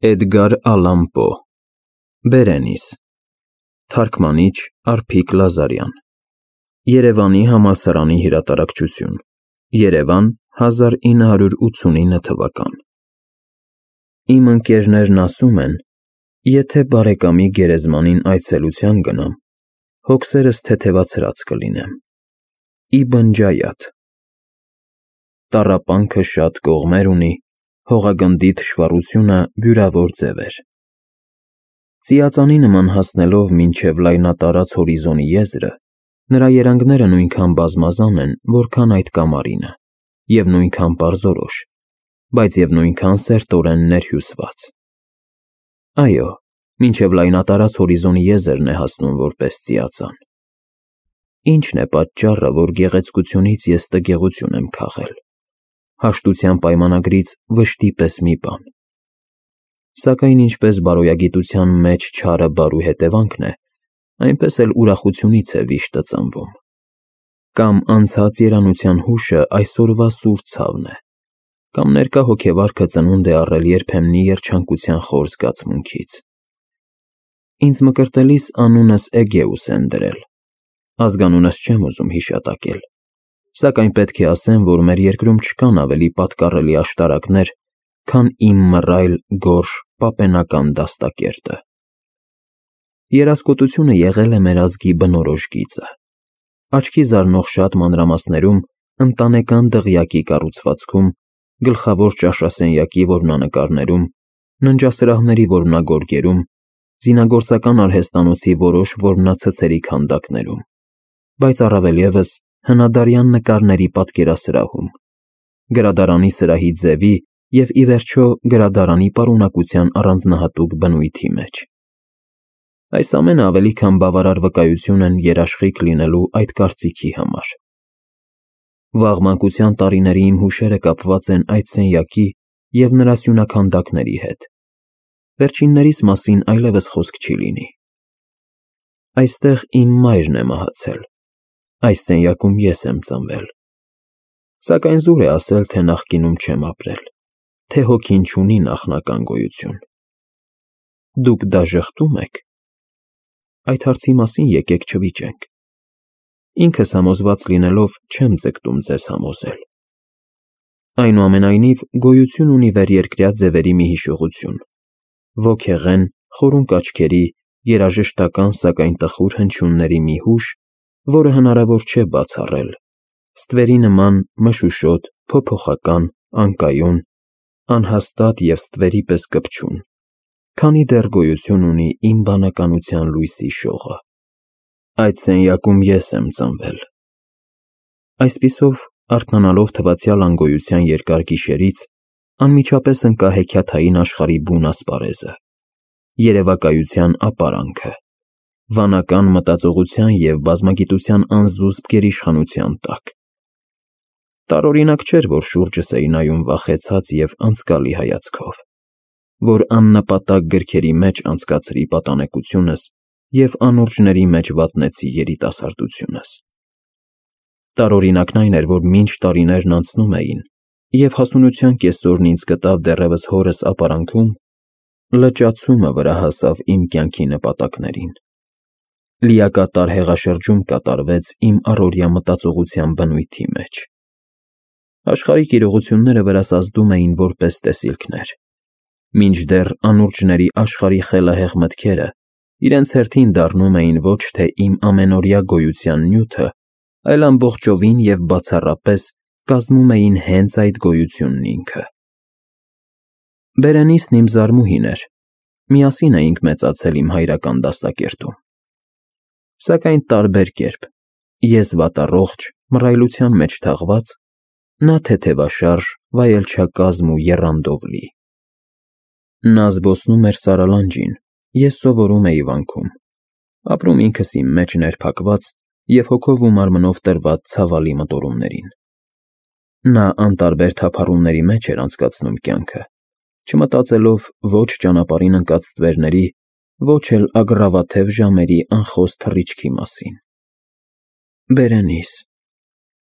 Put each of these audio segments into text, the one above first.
Էդգար Ալան Պո Բերենիս Թարգմանիչ Արփիկ Լազարյան Երևանի համալսարանի հրատարակչություն Երևան 1989 թվական Իմ ընկերներն ասում են, եթե բարեկամի գերեզմանին այցելության գնամ, հոգսերս թեթևացրած կլինեմ։ Իբն Ջայաթ Տառապանքը շատ կողմեր ունի, հողագնդի թշվառությունը բյուրավոր ձևեր։ Ծիածանի նման հասնելով մինչև լայնատարած հորիզոնի եզրը, նրա երանգները նույնքան բազմազան են, որքան այդ կամարինը, և նույնքան պարզորոշ, բայց և նույնքան սերտորեն ներհյուսված։ Այո, մինչև լայնատարած հորիզոնի եզրն է հասնում որպես ծիածան։ Ի՞նչն է պատճառը, որ գեղեցկությունից ես տգեղություն եմ քաղել, հաշտության պայմանագրից վշտի պես մի բան։ Սակայն ինչպես բարոյագիտության մեջ չարը բարու հետևանքն է, այնպես էլ ուրախությունից է վիշտը ծնվում։ Կամ անցած երանության հուշը այսօրվա սուր ցավն է, կամ ներկա հոգեվարքը ծնունդ է առել երբեմնի երջանկության խոր զգացմունքից։ Ինձ մկրտելիս անունս Էգեուս են դրել, ազգանունս չեմ ուզում հիշատակել, սակայն պետք է ասեմ, որ մեր երկրում չկան ավելի պատկառելի աշտարակներ, քան իմ մռայլ, գորշ, պապենական դաստակերտը։ Երասկոտությունը եղել է մեր ազգի բնորոշ գիծը։ Աչքի զարնող շատ մանրամասներում ընտանեկան դղյակի կառուցվածքում, գլխավոր ճաշասենյակի որմնանկարներում, ննջասրահների որմնագորգերում, զինագործական արհեստանոցի որոշ որմնացցերի քանդակներում, բայց առավել ևս հնադարյան նկարների պատկերասրահում, գրադարանի սրահի ձևի և ի վերջո գրադարանի պարունակության առանձնահատուկ բնույթի մեջ։ Այս ամենը ավելի քան բավարար վկայություն են երաշխիք լինելու այդ կարծիքի համար։ Վաղ մանկության տարիների իմ հուշերը կապված են այդ սենյակի և նրա սյունաքանդակների հետ։ Վերջիններիս մասին այլևս խոսք չի լինի։ Այստեղ իմ մայրն է մահացել, այս սենյակում ես եմ ծնվել։ Սակայն զուր է ասել, թե նախկինում չեմ ապրել, թե հոգին չունի նախնական գոյություն։ Դուք դա ժխտո՞ւմ եք։ Այդ հարցի մասին եկեք չվիճենք։ Ինքս համոզված լինելով չեմ ձգտում ձեզ համոզել։ Այնուամենայնիվ գոյություն ունի վերերկրյա ձևերի մի հիշողություն, ոգեղեն, խորունկ աչքերի, երաժշտական, սակայն տխուր հնչյունների մի հուշ, որը հնարավոր չէ բացառել, ստվերի նման մշուշոտ, փոփոխական, անկայուն, անհաստատ և ստվերի պես կպչուն, քանի դեռ գոյություն ունի իմ բանականության լույսի շողը։ Այդ սենյակում ես եմ ծնվել։ Այսպիսով, արթնանալով թվացյալ անգոյության երկար գիշերից, անմիջապես ընկա հեքիաթային աշխարհի բուն ասպարեզը, երևակայության ապարանքը, վանական մտածողության և բազմագիտության անզուսպ գերիշխանության տակ։ Տարօրինակ չէր, որ շուրջս էի նայում վախեցած և անձկալի հայացքով, որ աննպատակ գրքերի մեջ անցկացրի պատանեկությունս և անուրջների մեջ վատնեցի երիտասարդությունս։ Տարօրինակն այն էր, որ մինչ տարիներն անցնում էին, և հասունության կեսօրն ինձ գտավ դեռևս հորս ապարանքում, լճացումը վրա հասավ իմ կյանքի նպատակներին։ Լիակատար հեղաշրջում կատարվեց իմ առօրյա մտածողության բնույթի մեջ։ Աշխարհիկ իրողությունները վրաս ազդում էին որպես տեսիլքներ, մինչդեռ անուրջների աշխարհի խելահեղ մտքերը իրենց հերթին դառնում էին ոչ թե իմ ամենօրյա գոյության նյութը, այլ ամբողջովին և բացառապես կազմում էին հենց այդ գոյությունն ինքը։ Բերենիսն իմ զարմուհին էր, միասին էինք մեծացել իմ հայրական դաստակերտում։ Սակայն տարբեր կերպ, ես վատառողջ, մռայլության մեջ թաղված, նա թեթևաշարժ, վայելչակազմ ու եռանդով լի։ Նա զբոսնում էր Սարալանջին, ես սովորում էի վանքում, ապրում ինքս իմ մեջ ներփակված և հոգով ու մարմնով տրված ցավալի մտորումներին։ Նա անտարբեր թափառումների մեջ էր անցկացնում կյանքը, չմտածելով ոչ ճանապարհին ընկած ստվերների, ոչ էլ ագռավաթև ժամերի անխոս թռիչքի մասին։ Բերենիս։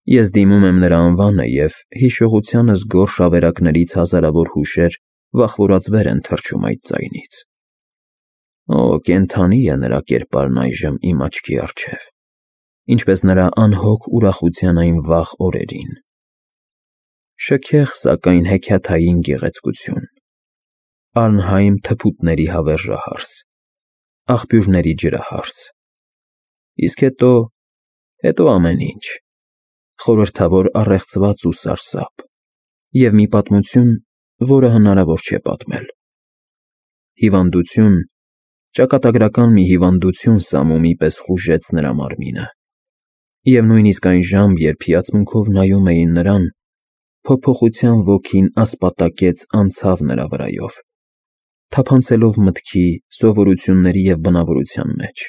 Ես դիմում եմ նրա անվանը և հիշողությանս գորշ ավերակներից հազարավոր հուշեր վախվորած վեր են թռչում այդ ձայնից։ Օ, կենդանի է նրա կերպարն այժմ իմ աչքի առջև, ինչպես նրա անհոգ ուրախության այն վաղ օրերին։ Շքեղ, սակայն հեքիաթային գեղեցկություն, արնհայմ թփուտների հավերժահարս, աղբյուրների ջրահարս, իսկ հետո ամեն ինչ, խորհրդավոր առեղծված ու սարսափ, և մի պատմություն, որը հնարավոր չէ պատմել։ Հիվանդություն, ճակատագրական մի հիվանդություն Սամումի պես խուժեց նրա մարմինը, և նույնիսկ այն ժամբ, երբ հիացմունքով նայում էին նրան, փոփոխության ոգին ասպատակեց անցավ նրա վրայով, թափանցելով մտքի, սովորությունների և բնավորության մեջ,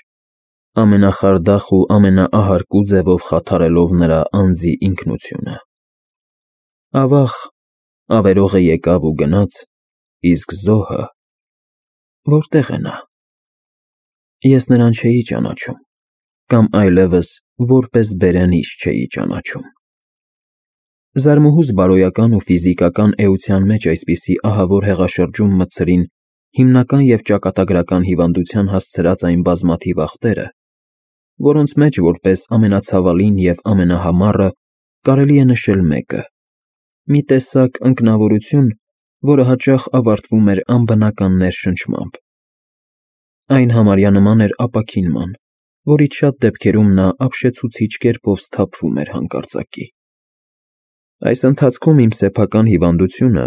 ամենախարդախ ու ամենաահարկու ձևով խաթարելով նրա անձի ինքնությունը։ Ավաղ, ավերողը եկավ ու գնաց, իսկ զոհը… որտե՞ղ է նա։ Ես նրան չէի ճանաչում, կամ այլևս որպես բերենիշ չէի ճանաչում։ Զարմուհուս բարոյական ու ֆիզիկական էության մեջ այսպիսի ահավոր հեղաշրջում մտցրին հիմնական և ճակատագրական հիվանդության հասցրած այն բազմաթիվ ախտերը, որոնց մեջ որպես ամենացավալին և ամենահամառը կարելի է նշել մեկը՝ մի տեսակ ընկնավորություն, որը հաճախ ավարտվում էր անբնական ներշնչմամբ։ Այն համարյա նման էր ապաքինման, որից շատ դեպքերում նա ապշեցուցիչ կերպով սթափվում էր հանկարծակի։ Այս ընթացքում իմ սեփական հիվանդությունը,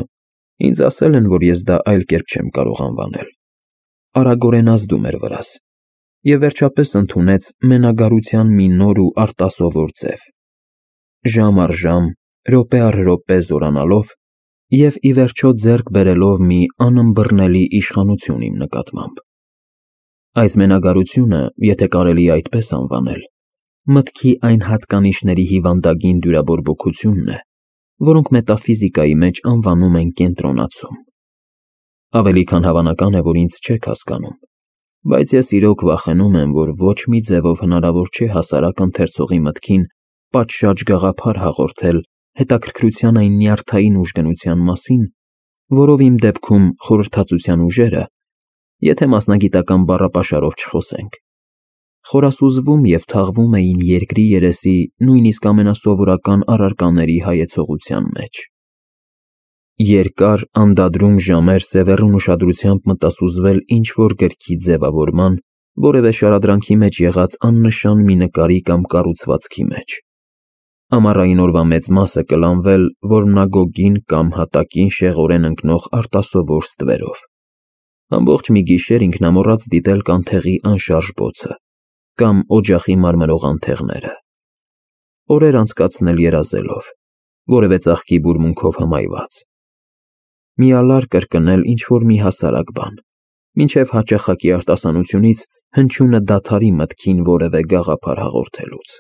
ինձ ասել են, որ ես դա այլ կերպ չեմ կարող անվանել, արագորեն ազդում էր վրաս և վերջապես ընդունեց մենագարության մի նոր ու արտասովոր ձև, ժամ առ ժամ, րոպե առ րոպե զորանալով և ի վերջո ձեռք բերելով մի անըմբռնելի իշխանություն իմ նկատմամբ։ Այս մենագարությունը, եթե կարելի է այդպես անվանել, մտքի այն հատկանիշների հիվանդագին դյուրաբորբոքությունն է, որոնք մետաֆիզիկայի մեջ անվանում են կենտրոնացում։ Ավելի քան հավանական է, որ ինձ չեք հասկանում, բայց ես իրոք վախենում եմ, որ ոչ մի ձևով հնարավոր չէ հասարակ ընթերցողի մտքին պատշաճ գաղափար հաղորդել հետաքրքրության այն նյարդային ուժգնության մասին, որով իմ դեպքում խորհրդածության ուժերը, եթե մասնագիտական բառապաշարով չխոսենք, խորասուզվում և թաղվում էին երկրի երեսի նույնիսկ ամենասովորական առարկաների հայեցողության մեջ։ Երկար, անդադրում ժամեր սևեռուն ուշադրությամբ մտասուզվել ինչ-որ գրքի ձևավորման, որևէ շարադրանքի մեջ եղած աննշան մի նկարի կամ կառուցվածքի մեջ։ Ամառային օրվա մեծ մասը կլանվել որմնագոգին կամ հատակին շեղորեն ընկնող արտասովոր ստվերով։ Ամբողջ մի գիշեր ինքնամոռաց դիտել կանթեղի անշարժ բոցը կամ օջախի մարմրող անթեղները։ Օրեր անցկացնել երազելով, որևէ ծաղկի բուրմունքով հմայված։ Միալար կրկնել ինչ-որ մի հասարակ բան, մինչև հաճախակի արտասանությունից հնչյունը դադարի մտքին որևէ գաղափար հաղորդելուց։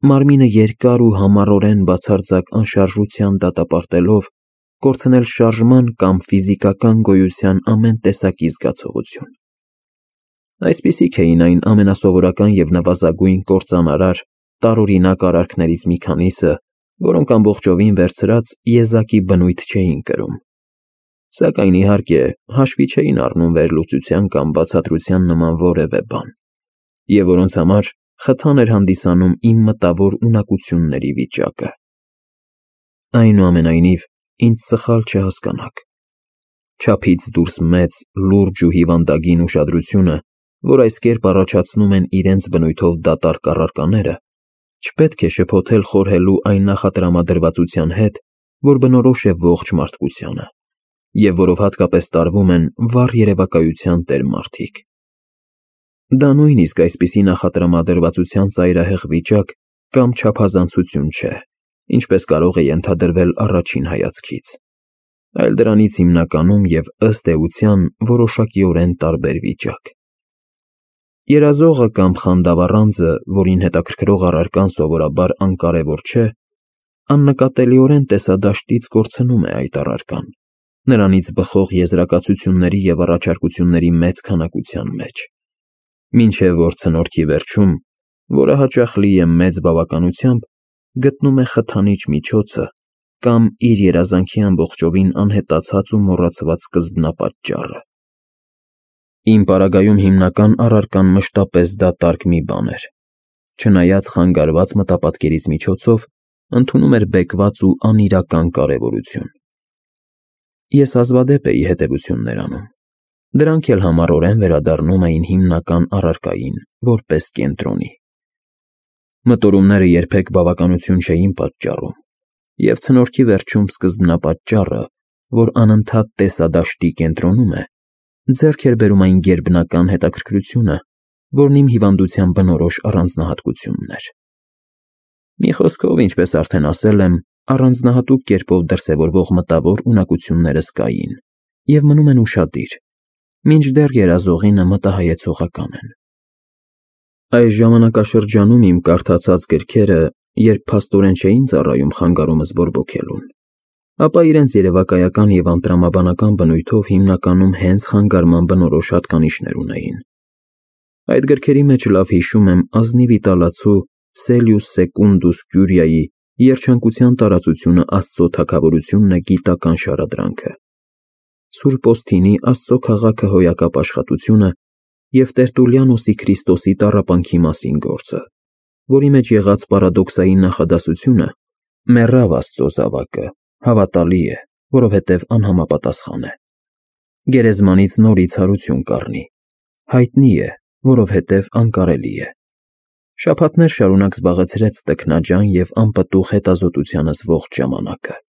Մարմինը երկար ու համառորեն բացարձակ անշարժության դատապարտելով, կորցնել շարժման կամ ֆիզիկական գոյության ամեն տեսակի զգացողություն։ Այսպիսիք էին այն ամենասովորական և նվազագույն կործանարար, տարօրինակ արարքներից մի քանիսը, որոնք ամբողջովին վերցրած եզակի բնույթ չէին կրում, սակայն իհարկե հաշվի չէին առնում վերլուծության կամ բացատրության նման որևէ բան, և որոնց համար խթան էր հանդիսանում իմ մտավոր ունակությունների վիճակը։ Այնուամենայնիվ, ինձ սխալ չհասկանաք։ Չափից դուրս մեծ, լուրջ ու հիվանդագին ուշադրությունը, որ այս կերպ առաջացնում են իրենց բնույթով դատարկ առարկաները, չպետք է շփոթել խորհելու այն նախատրամադրվածության հետ, որ բնորոշ է ողջ մարդկությանը, և որով հատկապես տարվում են վառ երևակայության տեր մարդիկ։ Դա նույնիսկ այսպիսի նախատրամադրվածության ծայրահեղ վիճակ կամ չափազանցություն չէ, ինչպես կարող է ենթադրվել առաջին հայացքից, այլ դրանից հիմնականում և ըստ էության որոշակիորեն տարբեր վիճակ։ Երազողը կամ խանդավառանձը, որին հետաքրքրող առարկան սովորաբար անկարևոր չէ, աննկատելիորեն տեսադաշտից կորցնում է այդ առարկան, նրանից բխող եզրակացությունների և առաջարկությունների մեծ քանակության մեջ, մինչև որ ցնորքի վերջում, որը հաճախ լի է մեծ բավականությամբ, գտնում է խթանիչ միջոցը կամ իր երազանքի ամբողջովին անհետացած ու մոռացված սկզբնապատճառը։ Իմ պարագայում հիմնական առարկան մշտապես դատարկ մի բան էր, չնայած խանգարված մտապատկերից միջոցով ընդունում էր բեկված ու անիրական կարևորություն։ Ես հազվադեպ էի հետևություններ անում, դրանք էլ համառորեն վերադառնում էին հիմնական առարկային, որպես կենտրոնի։ Մտորումները երբեք բավականություն չէին պատճառում, և ցնորքի վերջում սկզբնապատճառը, որ անընդհատ տեսադաշտի կենտրոնում է, ձեռք էր բերում այն գերբնական հետաքրքրությունը, որն իմ հիվանդության բնորոշ առանձնահատկությունն էր։ Մի խոսքով, ինչպես արդեն ասել եմ, առանձնահատուկ կերպով դրսևորվող մտավոր ունակություններս կային և մնում են ուշադիր, մինչդեռ երազողինը մտահայեցողական են։ Այս ժամանակաշրջանում իմ կարդացած գրքերը, երբ փաստորեն չէին ծառայում խանգարումս բորբոքելուն, ապա իրենց երևակայական և անտրամաբանական բնույթով հիմնականում հենց խանգարման բնորոշ հատկանիշներ ունեին։ Այդ գրքերի մեջ լավ հիշում եմ ազնիվ իտալացու Սելյուս Սեկունդուս Կյուրիայի «Երջանկության տարածությունը Աստծո թագավորությունն է» գիտական շարադրանքը, Սուրբ Օսթինի «Աստծո քաղաքը» հոյակապ աշխատությունը և Տերտուլիանոսի Քրիստոսի տառապանքի մասին գործը, որի մեջ եղած պարադոքսային նախադասությունը «Մեռավ Աստծո զավակը, հավատալի է, որովհետև անհամապատասխան է», «Գերեզմանից նորից հարություն կառնի», «Հայտնի է, որովհետև անկարելի է», շաբաթներ շարունակ զբաղեցրեց տքնաջան և անպտուղ հետազոտությանս ողջ ժամանակը։